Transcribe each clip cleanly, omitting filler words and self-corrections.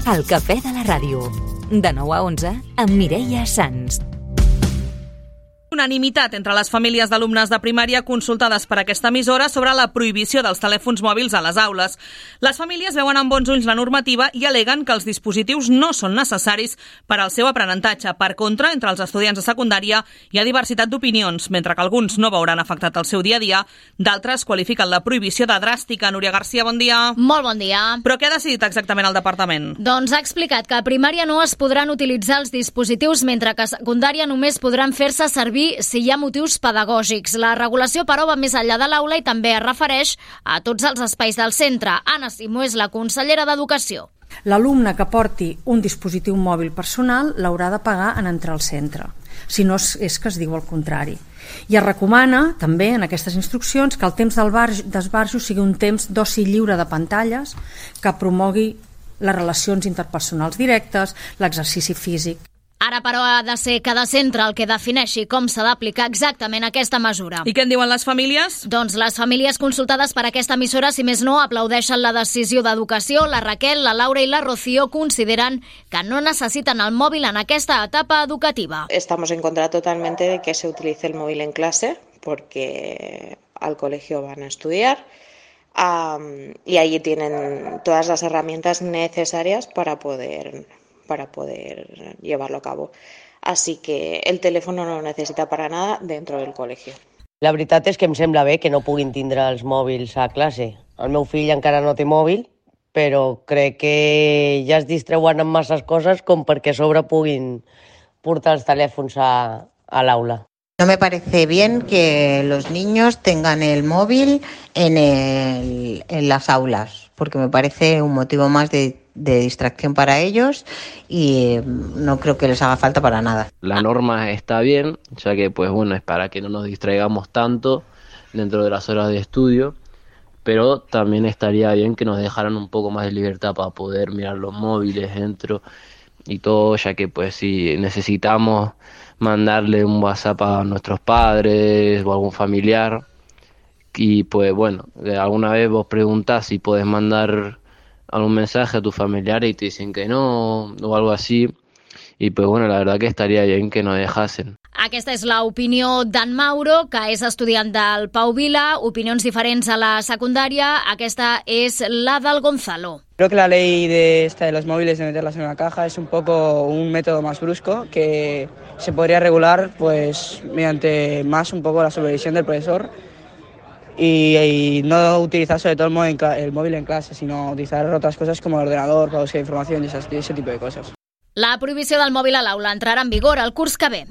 El cafè de la ràdio. De 9 a 11 amb Mireia Sans. Unanimitat entre les famílies d'alumnes de primària consultades per aquesta emissora sobre la prohibició dels telèfons mòbils a les aules. Les famílies veuen amb bons ulls la normativa i aleguen que els dispositius no són necessaris per al seu aprenentatge. Per contra, entre els estudiants de secundària hi ha diversitat d'opinions, mentre que alguns no veuran afectat el seu dia a dia, d'altres qualifiquen la prohibició de dràstica. Núria Garcia, bon dia. Molt bon dia. Però què ha decidit exactament el departament? Doncs ha explicat que a primària no es podran utilitzar els dispositius, mentre que a secundària només podran fer-se servir si hi ha motius pedagògics. La regulació, però, va més enllà de l'aula i també es refereix a tots els espais del centre. Anna Simó és la consellera d'Educació. L'alumne que porti un dispositiu mòbil personal l'haurà de pagar en entrar al centre, si no és que es diu el contrari. I es recomana, també, en aquestes instruccions, que el temps d'esbarjo sigui un temps d'oci lliure de pantalles que promogui les relacions interpersonals directes, l'exercici físic. Ara, però, ha de ser cada centre el que defineixi com s'ha d'aplicar exactament aquesta mesura. I què en diuen les famílies? Doncs les famílies consultades per aquesta emissora, si més no, aplaudeixen la decisió d'Educació. La Raquel, la Laura i la Rocío consideren que no necessiten el mòbil en aquesta etapa educativa. Estamos en contra totalmente de que se utilice el móvil en clase, porque al colegio van a estudiar. Y allí tienen todas las herramientas necesarias para poder llevarlo a cabo. Así que el teléfono no lo necesita para nada dentro del colegio. La veritat és que em sembla bé que no puguin tindre els mòbils a classe. El meu fill encara no té mòbil, però crec que ja es distreuen amb masses coses com perquè a sobre puguin portar els telèfons a l'aula. No me parece bien que los niños tengan el móvil en las aulas, porque me parece un motivo más de distracción para ellos y no creo que les haga falta para nada. La norma está bien, ya que pues bueno, es para que no nos distraigamos tanto dentro de las horas de estudio, pero también estaría bien que nos dejaran un poco más de libertad para poder mirar los móviles dentro y todo, ya que pues si necesitamos mandarle un WhatsApp a nuestros padres o algún familiar y pues bueno, alguna vez vos preguntás si podés mandar algún mensaje a tus familiares y te dicen que no o algo así y pues bueno, la verdad que estaría bien que nos dejasen. Aquesta és l'opinió d'en Mauro, que és estudiant del Pau Vila. Opinions diferents a la secundària. Aquesta és la del Gonzalo. Creo que la ley de los móviles de meterlas en una caja es un poco un método más brusco que se podría regular pues mediante más un poco la supervisión del profesor y no utilizar sobre todo el móvil en clase, sino utilizar otras cosas como el ordenador para buscar información y ese tipo de cosas. La prohibició del mòbil a l'aula entrarà en vigor el curs que ve.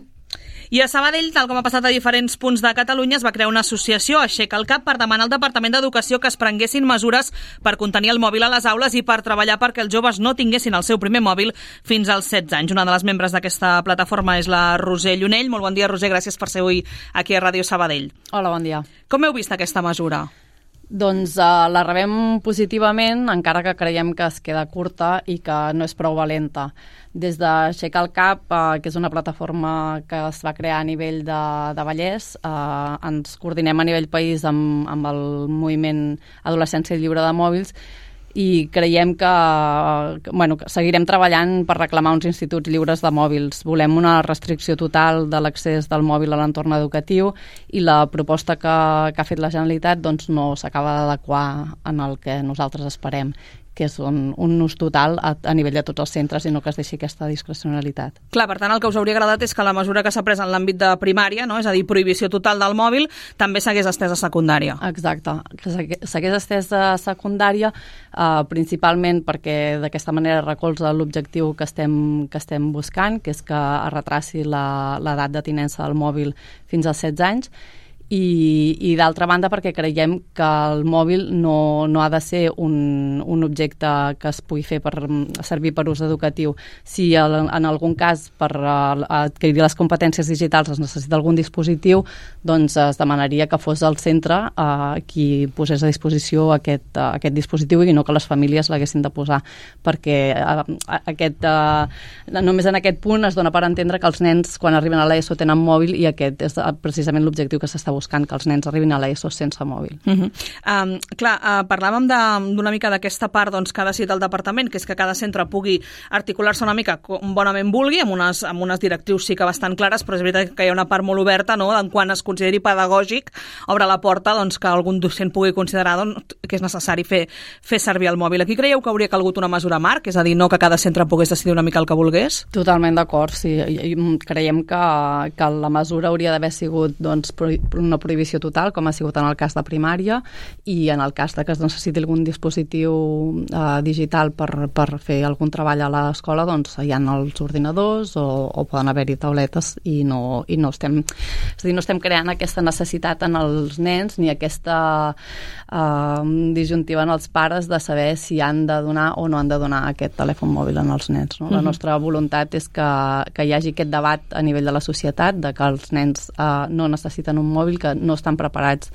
I a Sabadell, tal com ha passat a diferents punts de Catalunya, es va crear una associació, Aixeca el Cap, per demanar al Departament d'Educació que es prenguessin mesures per contenir el mòbil a les aules i per treballar perquè els joves no tinguessin el seu primer mòbil fins als 16 anys. Una de les membres d'aquesta plataforma és la Roser Llunell. Molt bon dia, Roser, gràcies per ser avui aquí a Ràdio Sabadell. Hola, bon dia. Com heu vist aquesta mesura? Doncs la rebem positivament, encara que creiem que es queda curta i que no és prou valenta. Des d'Aixecar el Cap, que és una plataforma que es va crear a nivell de Vallès, ens coordinem a nivell país amb el moviment Adolescència Lliure de Mòbils i creiem que seguirem treballant per reclamar uns instituts lliures de mòbils. Volem una restricció total de l'accés del mòbil a l'entorn educatiu i la proposta que ha fet la Generalitat doncs, no s'acaba d'adequar en el que nosaltres esperem, que és un ús total a nivell de tots els centres i no que es deixi aquesta discrecionalitat. Clar, per tant, el que us hauria agradat és que la mesura que s'ha pres en l'àmbit de primària, no? És a dir, prohibició total del mòbil, també s'hagués estès a secundària. Exacte, que s'hagués estès a secundària, principalment perquè d'aquesta manera recolza l'objectiu que estem buscant, que és que es retraci l'edat de tinença del mòbil fins als 16 anys, i d'altra banda perquè creiem que el mòbil no ha de ser un objecte que es pugui fer per servir per ús educatiu. Si en algun cas per adquirir les competències digitals es necessita algun dispositiu, doncs es demanaria que fos el centre qui posés a disposició aquest dispositiu i no que les famílies l'haguessin de posar, perquè només en aquest punt es dona per entendre que els nens quan arriben a l'ESO tenen mòbil i aquest és precisament l'objectiu que s'està buscant que els nens arribin a l'ESO sense mòbil. Parlàvem d'una mica d'aquesta part que ha decidit el departament, que és que cada centre pugui articular-se una mica com bonament vulgui, amb unes directrius sí que bastant clares, però és veritat que hi ha una part molt oberta, no?, en quan es consideri pedagògic, obre la porta que algun docent pugui considerar que és necessari fer servir el mòbil. Aquí creieu que hauria calgut una mesura marc? És a dir, no que cada centre pogués decidir una mica el que volgués? Totalment d'acord, sí. Creiem que la mesura hauria d'haver sigut una prohibició total, com ha sigut en el cas de primària, i en el cas que es necessiti algun dispositiu digital per fer algun treball a l'escola, hi ha els ordinadors o poden haver-hi tauletes i no estem creant aquesta necessitat en els nens ni aquesta disjuntiva en els pares de saber si han de donar o no han de donar aquest telèfon mòbil en els nens. No? La nostra voluntat és que hi hagi aquest debat a nivell de la societat, de que els nens no necessiten un mòbil, que no estan preparats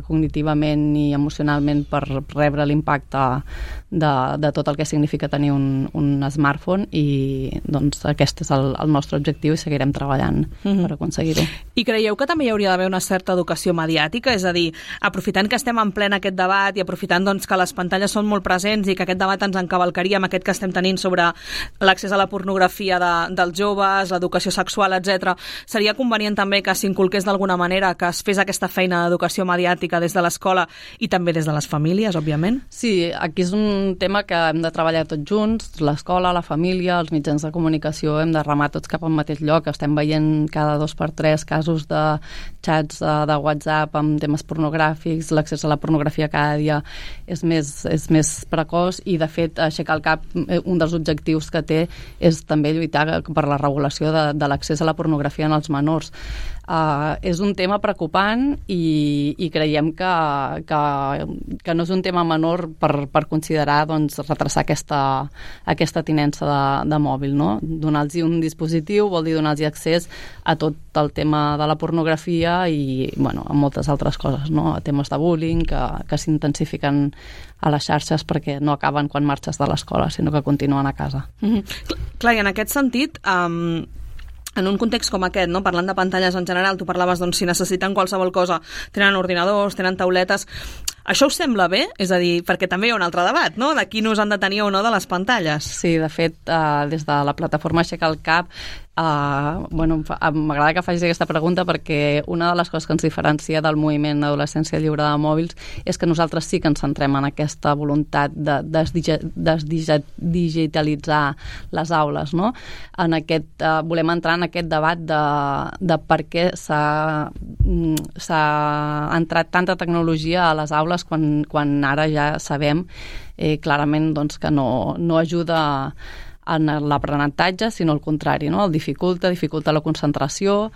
cognitivament ni emocionalment per rebre l'impacte de tot el que significa tenir un smartphone, i aquest és el nostre objectiu i seguirem treballant per aconseguir-ho. I creieu que també hi hauria d'haver una certa educació mediàtica? És a dir, aprofitant que estem en ple aquest debat i aprofitant que les pantalles són molt presents i que aquest debat ens encavalcaria amb aquest que estem tenint sobre l'accés a la pornografia dels joves, l'educació sexual, etc., seria convenient també que s'inculqués d'alguna manera, que es fes aquesta feina d'educació mediàtica des de l'escola i també des de les famílies, òbviament? Sí, aquí és un tema que hem de treballar tots junts, l'escola, la família, els mitjans de comunicació, hem de remar tots cap al mateix lloc. Estem veient cada 2x3 casos de xats de WhatsApp amb temes pornogràfics, l'accés a la pornografia cada dia és més precoç, i de fet Aixecar el Cap, un dels objectius que té és també lluitar per la regulació de l'accés a la pornografia en els menors. És un tema preocupant i creiem que no és un tema menor per considerar retrasar aquesta tinença de mòbil, no? Donar-los un dispositiu vol dir donar-los accés a tot el tema de la pornografia i a moltes altres coses, no? A temes de bullying que s'intensifiquen a les xarxes perquè no acaben quan marxes de l'escola, sinó que continuen a casa. Clar, i en aquest sentit, en un context com aquest, no? Parlant de pantalles en general, tu parlaves si necessiten qualsevol cosa, tenen ordinadors, tenen tauletes. Això us sembla bé? És a dir, perquè també hi ha un altre debat, no?, de quin ús han de tenir o no de les pantalles. Sí, de fet, des de la plataforma Aixecar el Cap, m'agrada que facis aquesta pregunta perquè una de les coses que ens diferencia del moviment Adolescència Lliure de Mòbils és que nosaltres sí que ens centrem en aquesta voluntat de digitalitzar les aules, no? Volem entrar en aquest debat de per què s'ha entrat tanta tecnologia a les aules quan ara ja sabem clarament que no ajuda en l'aprenentatge, sinó al contrari, no? El dificulta la concentració,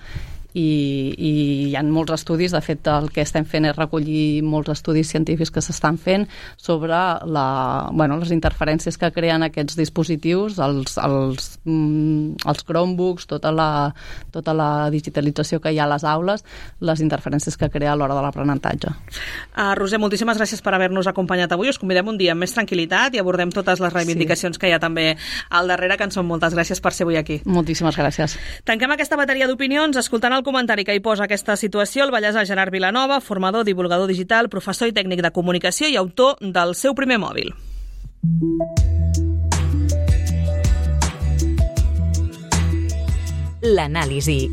i hi ha molts estudis. De fet, el que estem fent és recollir molts estudis científics que s'estan fent sobre les interferències que creen aquests dispositius, els Chromebooks, tota la digitalització que hi ha a les aules, les interferències que crea a l'hora de l'aprenentatge. Roser, moltíssimes gràcies per haver-nos acompanyat avui. Us convidem un dia amb més tranquil·litat i abordem totes les reivindicacions que hi ha també al darrere, que en són moltes. Gràcies per ser avui aquí. Moltíssimes gràcies. Tanquem aquesta bateria d'opinions escoltant el comentari que hi posa aquesta situació el vallès Gerard Vilanova, formador, divulgador digital, professor i tècnic de comunicació i autor del seu primer mòbil. L'anàlisi.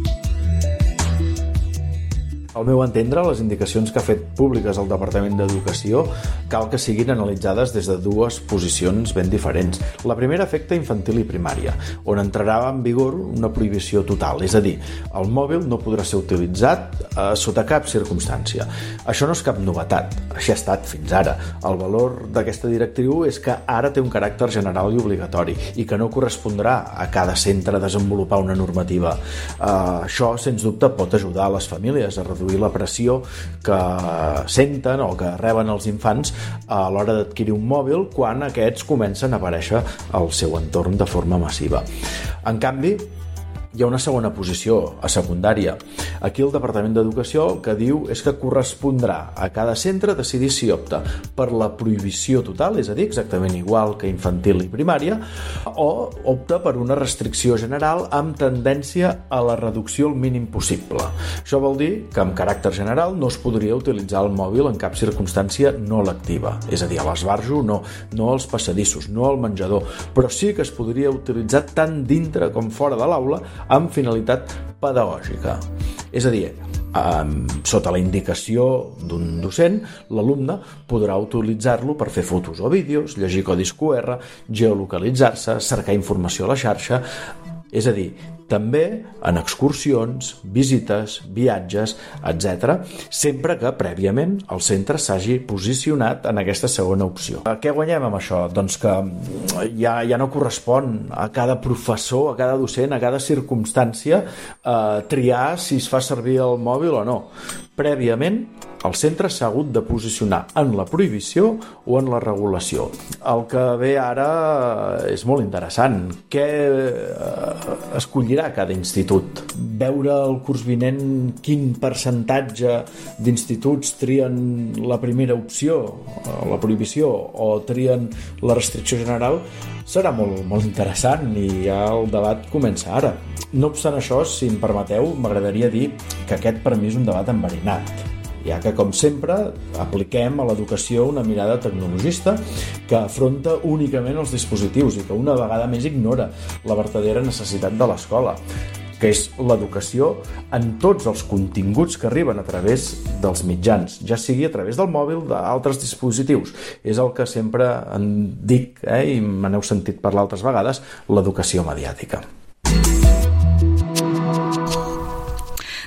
Al meu entendre, les indicacions que ha fet públiques el Departament d'Educació cal que siguin analitzades des de dues posicions ben diferents. La primera afecta infantil i primària, on entrarà en vigor una prohibició total, és a dir, el mòbil no podrà ser utilitzat sota cap circumstància. Això no és cap novetat, així ha estat fins ara. El valor d'aquesta directriu és que ara té un caràcter general i obligatori i que no correspondrà a cada centre desenvolupar una normativa. Això, sens dubte, pot ajudar a les famílies a reduir la pressió que senten o que reben els infants a l'hora d'adquirir un mòbil quan aquests comencen a aparèixer al seu entorn de forma massiva. En canvi, hi ha una segona posició, a secundària. Aquí el Departament d'Educació el que diu és que correspondrà a cada centre decidir si opta per la prohibició total, és a dir, exactament igual que infantil i primària, o opta per una restricció general amb tendència a la reducció al mínim possible. Això vol dir que amb caràcter general no es podria utilitzar el mòbil en cap circumstància no lectiva, és a dir, a l'esbarjo no als passadissos, no al menjador, però sí que es podria utilitzar tant dintre com fora de l'aula amb finalitat pedagògica. És a dir, sota la indicació d'un docent, l'alumne podrà utilitzar-lo per fer fotos o vídeos, llegir codis QR, geolocalitzar-se, cercar informació a la xarxa, és a dir, també en excursions, visites, viatges, etc., sempre que prèviament el centre s'hagi posicionat en aquesta segona opció. Què guanyem amb això? Doncs que ja no correspon a cada professor, a cada docent, a cada circumstància triar si es fa servir el mòbil o no. Prèviament, el centre s'ha hagut de posicionar en la prohibició o en la regulació. El que ve ara és molt interessant. Què escollirà cada institut? Veure el curs vinent quin percentatge d'instituts trien la primera opció, la prohibició, o trien la restricció general, serà molt interessant i ja el debat comença ara. No obstant això, si em permeteu, m'agradaria dir que aquest per mi és un debat enverinat, ja que, com sempre, apliquem a l'educació una mirada tecnologista que afronta únicament els dispositius i que una vegada més ignora la verdadera necessitat de l'escola, que és l'educació en tots els continguts que arriben a través dels mitjans, ja sigui a través del mòbil, d'altres dispositius. És el que sempre en dic, i me n'heu sentit parlar altres vegades, l'educació mediàtica.